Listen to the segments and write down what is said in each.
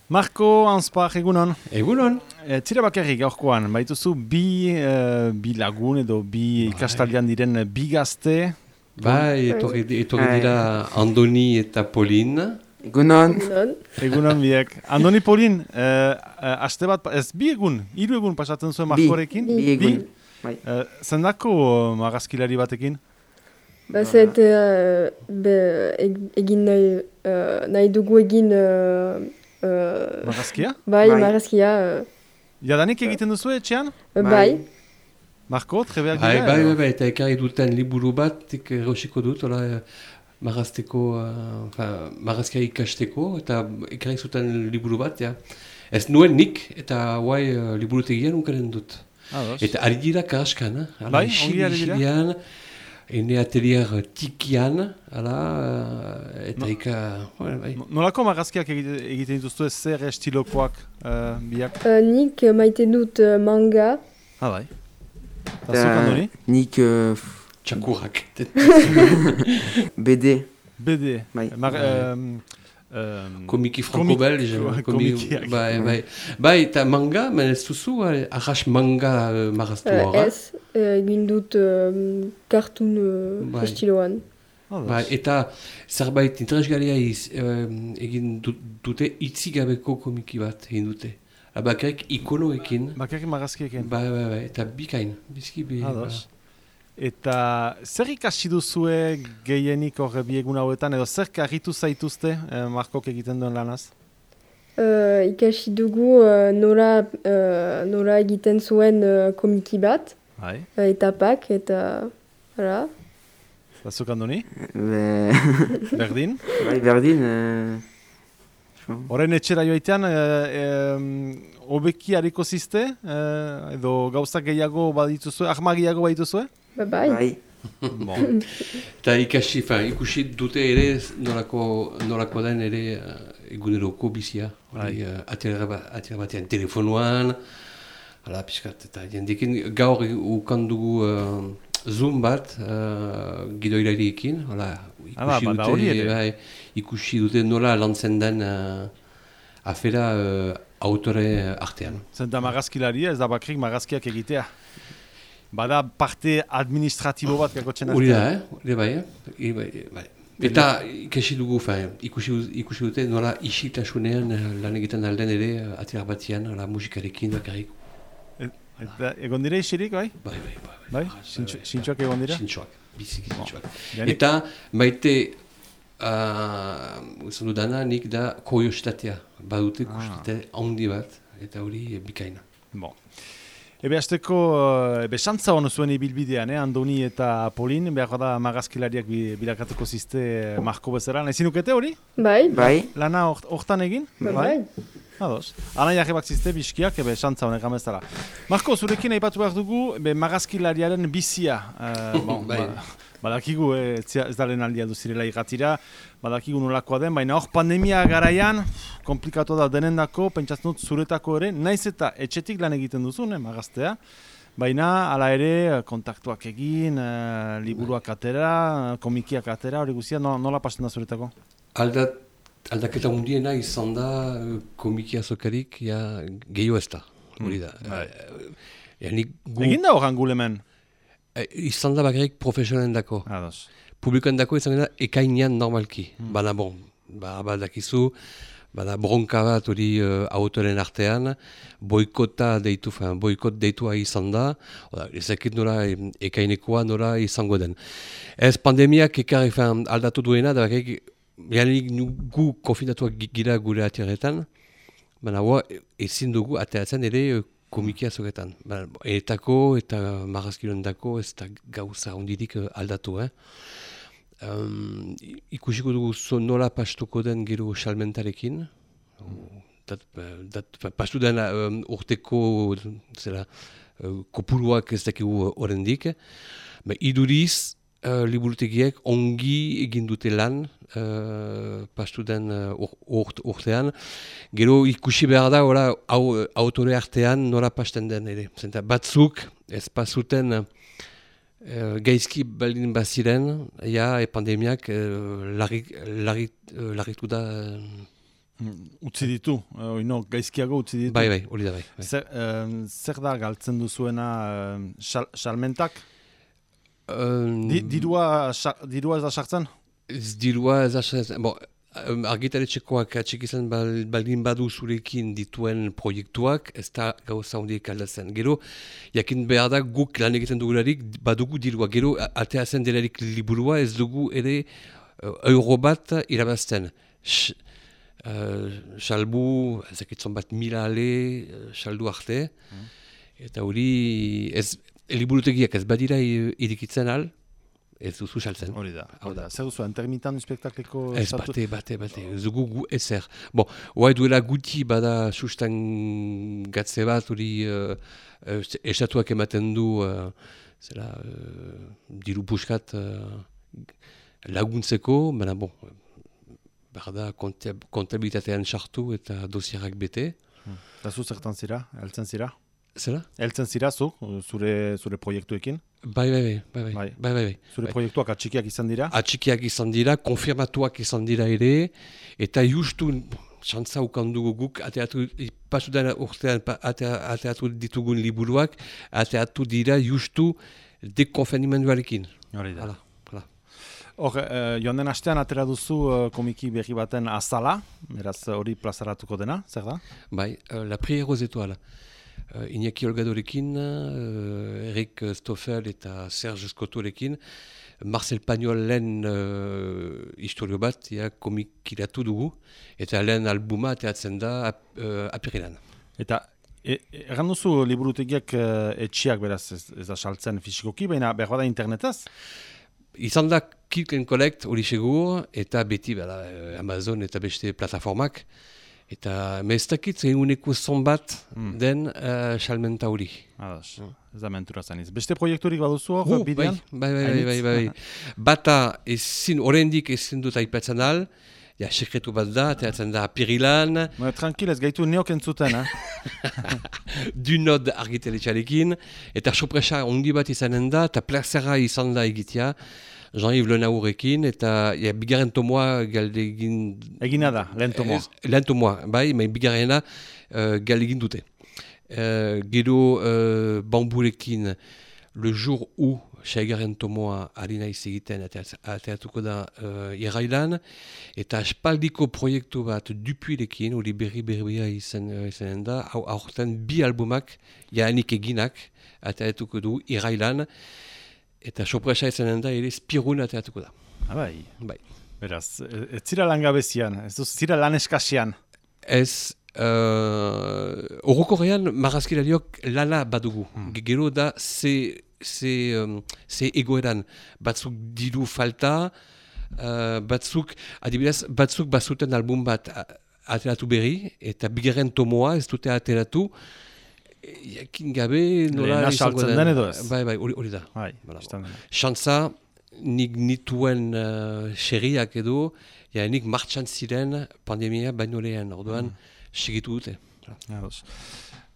Marko Anspar, egunon. Egunon. Tira bakarrik gaurkoan, baituzu bi lagun edo bi ikastaldean diren bi gazte. Etorri dira Andoni eta Polin. Egunon. Egunon biek. Andoni Polin, aste bat, ez bi egun, 3 egun pasatzen zuen Markorekin? Bi egun. Zendako marrazkilari batekin? Zet egin nahi dugu egin... Marrazkia? Bai, marrazkia. Jadanik egiten duzu etxean? Bai. Marko, trebeak dira? Bai, eta ekarri duten liburu bat, erosiko dut, marrazkia ikasteko, eta ekarri zuten liburu bat, ja. Ez nuen nik, eta guai liburutegian ukaren dut. Eta ari dira karaskan, bai, ongi ari dira? Ene atelier tikian, eta bai. Nolako marrazkiak egiten dituztu ez zer estilokoak biak? Nik maite dut manga. Bai. Eta zuk, Andoni? Nik... Txakurrak. BD. BD. Bai. Komiki franco-belge. Komikiak. Bai, eta manga, men ez duzu, arras manga marraztu horra. Ez, egin dut cartoon estiloan. Eta zerbait interesgarria egin dute itzigabeko komiki bat egin dute. Bakarrik ikonoekin. Bakarrik marrazkiekin. Bai, eta bikain. Bizki bi. Eta zer ikasi duzue gehienik horre biegun hauetan, edo zer karritu zaituzte Markok egiten duen lanaz? Ikasi dugu nola egiten zuen komiki bat, etapak, eta... Eta zuk, Andoni? Berdin? Bai, berdin. Horren etxera joaitean, hobeki hariko zizte, edo gauzak gehiago badituzue, ahmagiago badituzue? Bai. Eta ikusi dute ere nolako den ere eguneroko bizia. Atera batean telefonoan, piskat, eta jendekin gaur ukan dugu Zoom bat gidoirariekin. Ikusi dute nola lantzen den afera autore artean. Zenta marrazkilaria ez da bakrik marrazkiak egitea. Bada parte administratibo bat gakotzen artean. Hori bai. Eta ikusi dugu, ikusi dute nola isiltasunean lan egiten alden ere atera batian, musikarekin bakarrik. Egon dira isilik, bai? Bai. Sintxoak egon dira? Sintxoak, biziki sintxoak. Eta maite, uzan dudana, nik da kuriositatea. Badute kuriositate handi bat, eta hori bikaina. Ebe hasteko, xantza honu zuen ibilbidean, Andoni eta Polin, behar da marrazkilariak bilakatuko zizte Marko bezala. Ezin ukete hori? Bai. Lana hortan egin? Bai. Ados. Ana jarrebak zizte biskiak, xantza honek amezala. Marko, zurekin aipatu behar dugu, marrazkilariaren bizia. Badakigu, ez da lehen aldia duzirela irratira, badakigu nolakoa den, baina hor pandemia garaian, komplikatu da denendako, pentsatzen dut zuretako ere, naiz eta etxetik lan egiten duzun, maraztea, baina hala ere kontaktuak egin, liburuak atera, komikiak atera, hori guztia, nola pasten da zuretako? Aldaketa hundiena izan da komiki azokarik, gehiago ez da, hori da. Egin da horan gulemen? Izan da bakarrik profesionalen dako. Publikoen dako izan da ekainean normalki. Badakizu, bronka bat hori autoren artean, boikot deitua izan da, ezakit nola ekainekoa nola izango den. Ez pandemiak ekarri aldatu duena, da bakarrik gu konfinatuak gira gure atierretan, baina ezin dugu ateratzen ere komiki azoketan. Etako eta marrazkiloen dako ez da gauza hondirik aldatu. Ikusiko dugu nola pastuko den gero salmentarekin. Pastu den urteko kopuruak ez dakigu horrendik. Iduriz, liburutegiek ongi egin dute lan pastu den urtean. Gero ikusi behar da autore artean nola pasten den ere. Batzuk ez pasuten gaizki baldin baziren, pandemiak larritu da utzi ditu, gaizkiago utzi ditu. Bai, hori da bai. Zer da galtzen duzuena salmentak? Dirua ez da sartzen? Dirua ez da sartzen. Argitaletxekoak atxik izan baldin badu zurekin dituen proiektuak, ez da gauza hondiek aldatzen. Gero, jakin behar da guk lan egiten dugularik badugu dirua. Gero, ateazen delarik liburua ez dugu ere euro bat irabazten. Salbu, ezakitzon bat 1000 ale, saldu arte. Eta hori, liburutegiak ez badira irikitzen al, ez duzu saltzen. Hori da. Zer duzu, intermitan spektakleko... Ez bate. Ez dugu ezer. Hoa duela guti bada sustan gatze bat, hori estatuak ematen du diru puskat laguntzeko, baina behar da kontabilitatean sartu eta dosierak bete. Eta zu zertan zira, heltzen zira? Zela? Heltzen zira zu, zure proiektuekin? Bai. Zure proiektuak atxikiak izan dira? Atxikiak izan dira, konfirmatuak izan dira ere, eta justu xantza ukandugu guk, pasudan urtean ateatu ditugun liburuak, ateatu dira justu dekonfenimenduarekin. Hori da. Hor, joan den astean atera duzu komiki berri baten azala, beraz hori plazaratuko dena, zer da? Bai, La Prière aux Étoiles. Iñaki Olgadorekin, Eric Stoffel eta Serge Scottorekin, Marcel Pagnol lehen historio bat komikiratu dugu, eta lehen albuma ateatzen da apirilan. Eta erran duzu liburutegiak etxiak beraz ez da saltzen fisikoki, baina behar bada internetaz? Izan da Click and Collect hori segur, eta beti Amazon eta beste plataformak. Eta meztakit eguneko zonbat den salmenta hori. Ez da mentura zaniz. Beste proiekturik baduzu hor bidean? Bai. Bata oraindik ezin dut aipatzen al, sekretu bat da, teatzen da apirilan. Tranquil, ez gaitu neok entzuten, Dunod argitaletxarekin, eta sorpresa ongi bat izanen da, eta plazera izan da egitea. Jean-Yves Lenaurekin, eta bigarren tomoa galdegin... Egina da, lehen tomoa. Lehen tomoa, bai, bigarrena galdegin dute. Gero Bamburekin, le jour où seigarren tomoa ari naiz egiten ateatuko da irailan, eta aspaldiko proiektu bat Dupuirekin, hori berria izanen da, aurten 2 albumak, jaanik eginak, ateatuko du irailan, eta sorpresa izanen da, ere Spirun ateatuko da. Bai. Beraz, ez zira langabezian, ez zira lan eskasian. Ez, orokorrean marrazkilariok lana badugu. Gero da, ze egoeran, batzuk diru falta, adibidez, batzuk bazuten album bat ateratu berri, eta bigarren tomoa ez dute ateratu, jakin gabe nola izango den edo ez? Bai, hori da. Xantza, nik nituen xerriak edo, nik martxan ziren pandemia baino lehen, orduan segitu dute.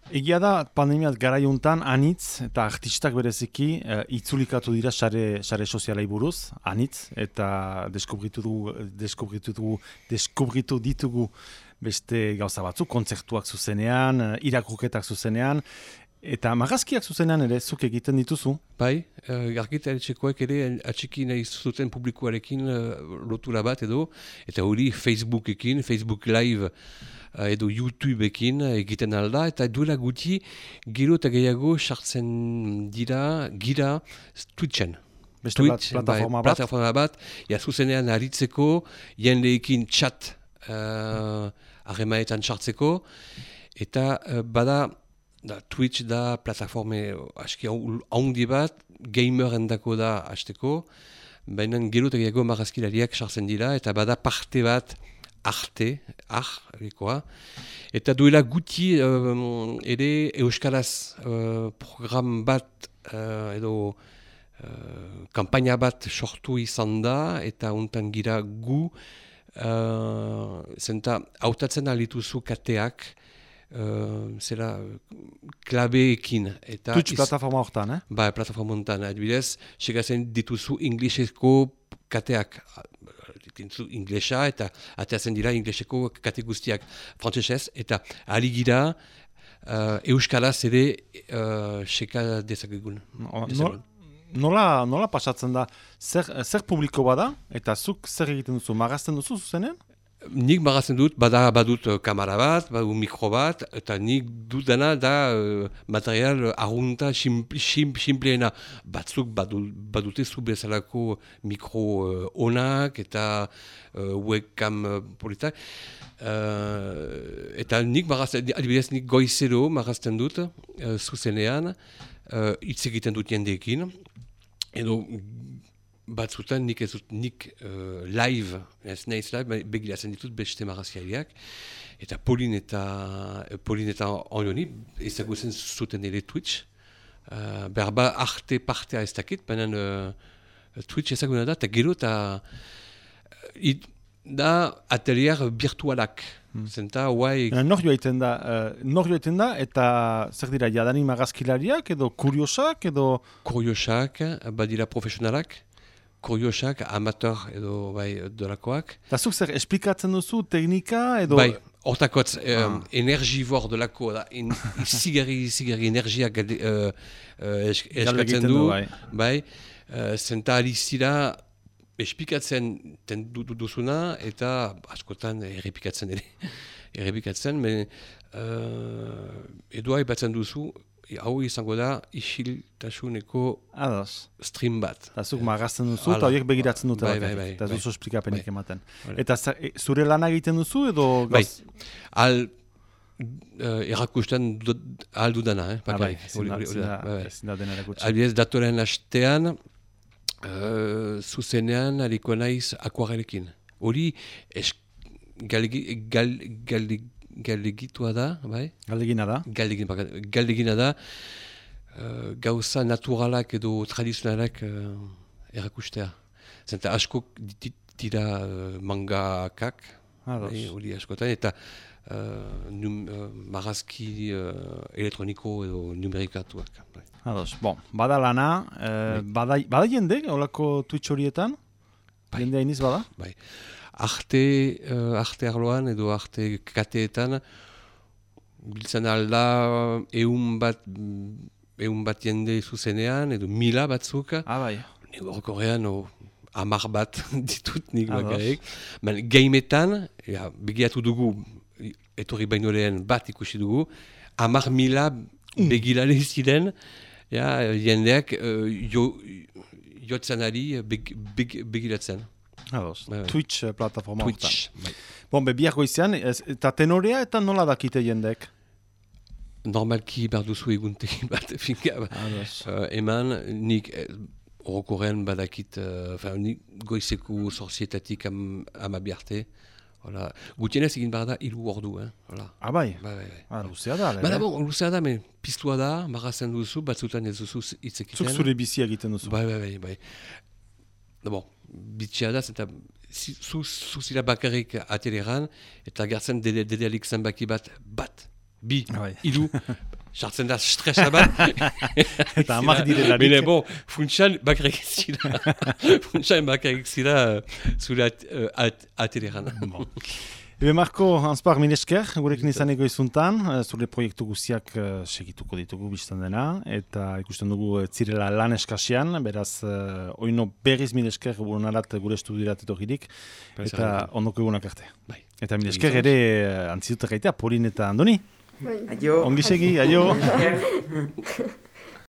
Egia da, pandemiat garaiuntan anitz eta artistak bereziki itzulikatu dira sare sozialai buruz, anitz, eta deskubritu ditugu beste gauza batzuk, kontzertuak zuzenean, irakurketak zuzenean, eta marrazkiak zuzenean ere zuk egiten dituzu. Bai, argitaletxekoek ere atxiki nahi zuten publikoarekin lotura bat edo, eta hori Facebookekin, Facebook Live edo YouTubeekin egiten alda, eta duela guti gero eta gehiago sartzen dira gira Twitchen. Twitch, plataforma bat, zuzenean aritzeko, jendeekin chat harremanetan sartzeko, eta bada Twitch da plataforme aski haundi bat, gamerendako da hasteko, baina gero eta gehiago marrazkilariak sartzen dira, eta bada parte bat eta duela guti ere euskaraz program bat edo kampaina bat sortu izan da, eta untan gira gu zenta hautatzen alituzu kateak zera klabeekin. Twitch plataforma hortan, Ba, plataforma hortan, adibidez, segazen dituzu inglesezko kateak. inglesa, eta ateatzen dira ingleseko kate guztiak frantsesez, eta aligira euskaraz ere seka dezakegun. Nola pasatzen da, zer publiko bada, eta zuk zer egiten duzu, magazten duzu zuzenen? Nik magazten dut, badut kamera bat, badu mikro bat, eta nik dudana da material arrunta simpleena. Batzuk badute zu bezalako mikro onak eta webcam politak. Eta nik magazten, adibidez nik goizero magazten dut, zuzenean, hitz egiten dut jendeekin, edo batzutan nik live, ez nahiz live, begiratzen ditut beste magaziariak, eta Polin eta Orioni ezagutzen zuten ere Twitch, berba arte partea ez dakit, baina Twitch ezaguna da, eta gero eta da atelier virtualak. Zenta, guai... Nor joaiten da, eta zer dira, jadanik magazkilariak, edo kuriosak, edo... Kuriosak, badira profesionalak, kuriosak, amateur edo dolakoak. Eta zuk zer, esplikatzen duzu teknika edo... Bai, hortakotz, energibor dolako, izigarri energiak eskatzen du. Bai, zenta alizira esplikatzen duzuna eta askotan errepikatzen ere. Edo batzen duzu, hau izango da isiltasuneko stream bat. Eta zuk magazten duzu, eta horiek begiratzen dute. Bai. Eta duzu esplikapenik ematen. Eta zure lana egiten duzu edo... Bai, erakusten ahal dudana. Ezin da dena erakutsi. Albiez datoren hastean, zuzenean hariko naiz akuarelekin. Hori galdegitua da, bai? Galdegina da, gauza naturalak edo tradizionalak erakustea. Zenta asko dira mangakak, hori askotan, eta marazki elektroniko edo numerikatuak. Bada lana, bada jende, holako Twitch horietan? Jende hainiz bada? Bai. Arte arloan edo arte kateetan biltzen alda ehun bat jende zuzenean edo 1000 batzuk. Bai. Nik horrean 10 bat ditut nik bakarrik. Gameetan, begiratu dugu, etorri baino lehen bat ikusi dugu, 10.000 begirale ziren, jendeak jotzen ari begiratzen. Twitch plataforma horretan. Biak goizean, eta tenorea eta nola dakite jendek? Normalki behar duzu eguntegi bat, eman nik orokorrean badakit, nik goizeko sorzietatik amabiarte, gutienez egin behar da 3 ordu. Bai? Luzea da. Luzea da, piztua da, magazen duzu, batzutan ez duzu hitzekiten. Zuk zure bizia egiten duzu. Bai. Bitxea da, eta zuzira bakarrik ateleran, eta gertzen dedealik zenbaki bat, 2, 3, sartzen da stresa bat. Eta amak direlarik. Bine, funtsan bakarrik zira zure ateleran. Ebe Marko, Hanspar, minesker, gurekin izaneko izuntan, zure proiektu guztiak segituko ditugu biztan dena, eta ikusten dugu zirela lan eskasian, beraz, oino berriz minesker burunarat gure estudirat etorririk, eta ondoko egunak arte. Eta minesker ere antzidutak gaitea, Polin eta Andoni. Aio. Ongi segi, aio.